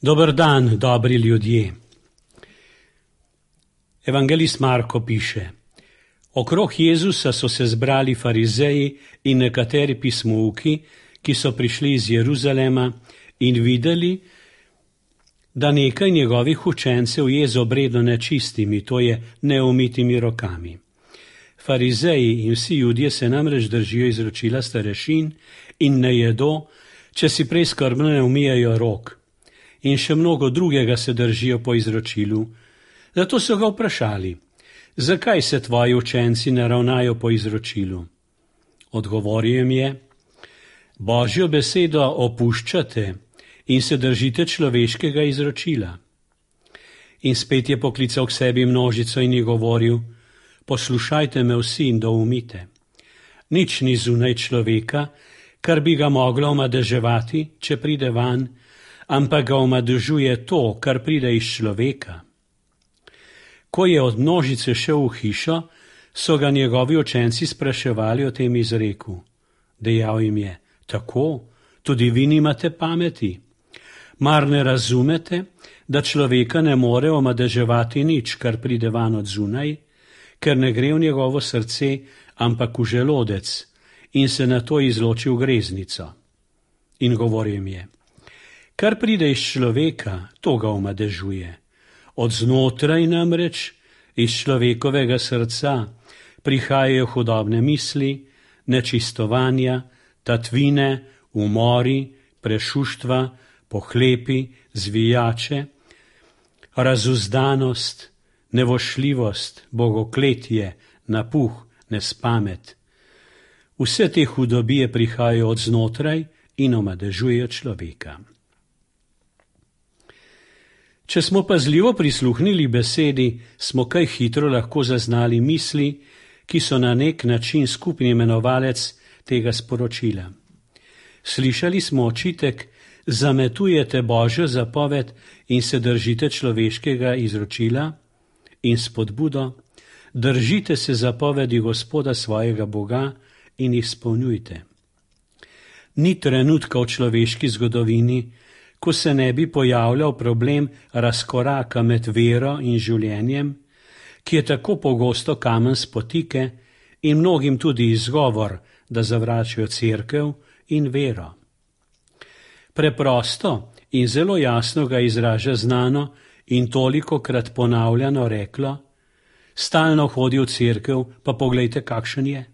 Dober dan, dobri ljudje. Evangelist Marko piše: Okrog Jezusa so se zbrali farizeji in nekateri pismouki, ki so prišli iz Jeruzalema in videli, da nekaj njegovih učencev je z obredno nečistimi, to je neumitimi rokami. Farizeji in vsi Judje se namreč držijo izročila starešin in ne jedo, če si prej skrbno ne umijajo rok. In še mnogo drugega se držijo po izročilu. Zato so ga vprašali: zakaj se tvoji učenci ne ravnajo po izročilu? Odgovoril jim je: Božjo besedo opuščate in se držite človeškega izročila. In spet je poklical k sebi množico in je govoril: poslušajte me vsi in doumite. Nič ni zunaj človeka, kar bi ga moglo omadeževati, če pride van, ampak ga omadežuje to, kar pride iz človeka. Ko je od množice šel v hišo, so ga njegovi učenci spraševali o tem izreku. Dejal jim je: tako, tudi vi nimate pameti? Mar ne razumete, da človeka ne more omadeževati nič, kar pride van od zunaj, ker ne gre v njegovo srce, ampak v želodec, in se nato izloči v greznico? In govoril jim je: kar pride iz človeka, to ga omadežuje. Od znotraj namreč, iz človekovega srca, prihajajo hudobne misli, nečistovanja, tatvine, umori, prešuštva, pohlepi, zvijače, razuzdanost, nevošljivost, bogokletje, napuh, nespamet. Vse te hudobije prihajajo od znotraj in omadežujejo človeka. Če smo pazljivo prisluhnili besedi, smo kaj hitro lahko zaznali misli, ki so na nek način skupni imenovalec tega sporočila. Slišali smo očitek: zametujete Božjo zapoved in se držite človeškega izročila, in spodbudo: držite se zapovedi Gospoda svojega Boga in jih izpolnjujte. Ni trenutka v človeški zgodovini, ko se ne bi pojavljal problem razkoraka med vero in življenjem, ki je tako pogosto kamen spotike in mnogim tudi izgovor, da zavračajo cerkev in vero. Preprosto in zelo jasno ga izraža znano in tolikokrat ponavljano reklo: stalno hodi v cerkev, pa poglejte, kakšen je.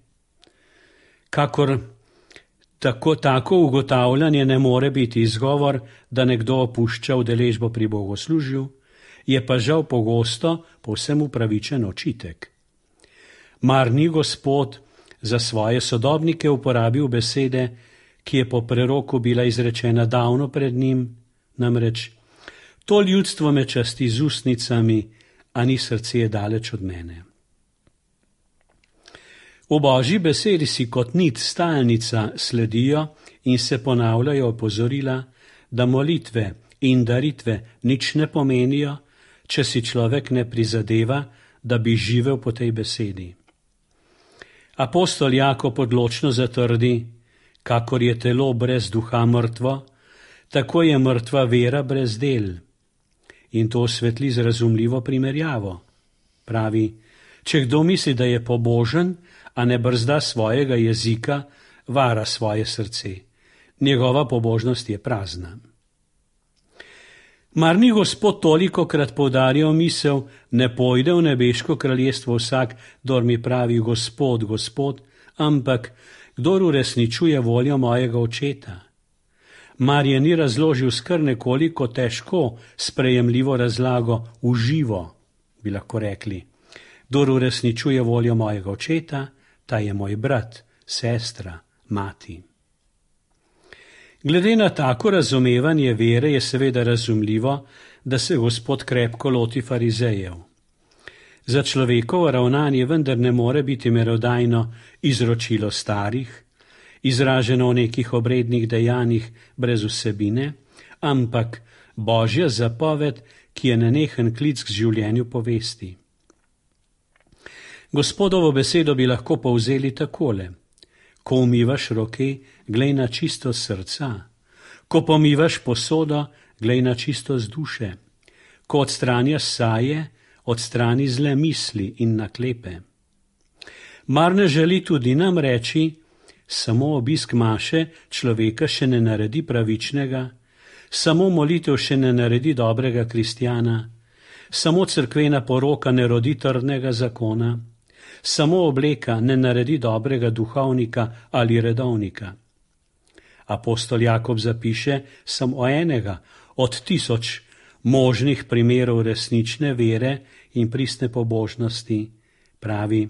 Tako ugotavljanje ne more biti izgovor, da nekdo opušča udeležbo pri bogoslužju, je pa žal pogosto povsem upravičen očitek. Mar ni Gospod za svoje sodobnike uporabil besede, ki je po preroku bila izrečena davno pred njim, namreč: to ljudstvo me časti z ustnicami, a ni srce je daleč od mene. V Božji besedi si kot nit stalnica sledijo in se ponavljajo opozorila, da molitve in daritve nič ne pomenijo, če si človek ne prizadeva, da bi živel po tej besedi. Apostol Jakob odločno zatrdi: kakor je telo brez duha mrtvo, tako je mrtva vera brez del. In to osvetli z razumljivo primerjavo. Pravi: če kdo misli, da je pobožen, a ne brzda svojega jezika, vara svoje srce. Njegova pobožnost je prazna. Mar ni Gospod tolikokrat poudarjal misel: ne pojde v nebeško kraljestvo vsak, kdor mi pravi Gospod, Gospod, ampak kdor uresničuje voljo mojega Očeta. Mar je ni razložil s kar nekoliko težko sprejemljivo razlago v živo, bi lahko rekli: kdor uresničuje voljo mojega Očeta, ta je moj brat, sestra, mati. Glede na tako razumevanje vere je seveda razumljivo, da se Gospod krepko loti farizejev. Za človekovo ravnanje vendar ne more biti merodajno izročilo starih, izraženo v nekih obrednih dejanjih brez vsebine, ampak Božja zapoved, ki je nenehen klic k življenju po vesti. Gospodovo besedo bi lahko povzeli takole: ko umivaš roke, glej na čisto srca, ko pomivaš posodo, glej na čistost duše. Ko odstranjaš saje, odstrani zle misli in naklepe. Mar ne želi tudi nam reči, samo obisk maše človeka še ne naredi pravičnega, samo molitev še ne naredi dobrega kristjana, samo cerkvena poroka ne rodi trdnega zakona, samo obleka ne naredi dobrega duhovnika ali redovnika. Apostol Jakob zapiše samo enega od 1000 možnih primerov resnične vere in pristne pobožnosti, pravi,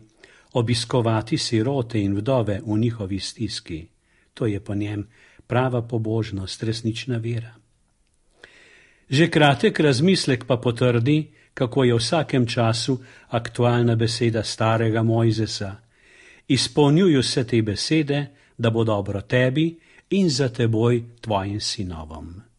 obiskovati sirote in vdove v njihovi stiski. To je po njem prava pobožnost, resnična vera. Že kratek razmislek pa potrdi, kako je v vsakem času aktualna beseda starega Mojzesa. Izpolnjuj se te besede, da bo dobro tebi in za teboj tvojim sinovom.